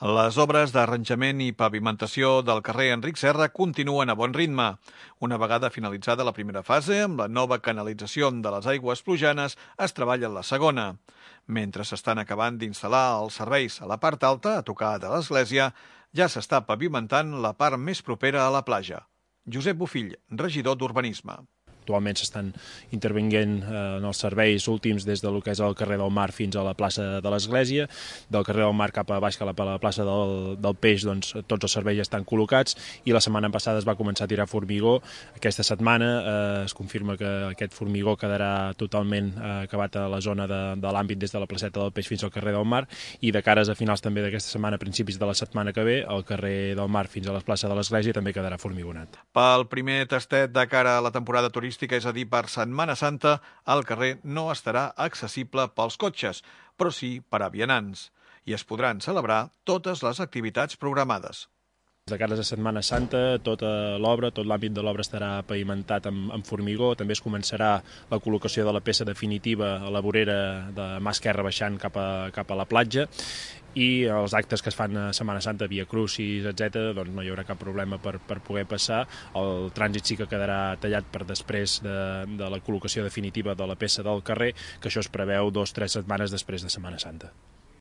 Les obres d'arranjament i pavimentació del carrer Enric Serra continuen a bon ritme. Una vegada finalitzada la primera fase, amb la nova canalització de les aigües plujanes, es treballa en la segona. Mentre s'estan acabant d'instal·lar els serveis a la part alta, a tocar de l'església, ja s'està pavimentant la part més propera a la platja. Josep Bofill, regidor d'Urbanisme. Actualment s'estan intervenint en els serveis últims des del que és el carrer del Mar fins a la plaça de l'Església. Del carrer del Mar cap a baix, cap a la plaça del Peix, doncs, tots els serveis ja estan col·locats i la setmana passada es va començar a tirar formigó. Aquesta setmana es confirma que aquest formigó quedarà totalment acabat a la zona de l'àmbit des de la placeta del Peix fins al carrer del Mar i de cares a finals també d'aquesta setmana, a principis de la setmana que ve, el carrer del Mar fins a la plaça de l'Església també quedarà formigonat. Pel primer tastet de cara a la temporada turística, és a dir, per Setmana Santa, el carrer no estarà accessible pels cotxes, però sí per a vianants, i es podran celebrar totes les activitats programades. De cares a Setmana Santa, tota l'obra, tot l'àmbit de l'obra estarà pavimentat amb formigó, també es començarà la col·locació de la peça definitiva a la vorera de mà esquerra baixant cap a la platja, i els actes que es fan a Setmana Santa, Via Crucis, etc., doncs no hi haurà cap problema per poder passar. El trànsit sí que quedarà tallat per després de la col·locació definitiva de la peça del carrer, que això es preveu 2 o 3 setmanes després de Setmana Santa.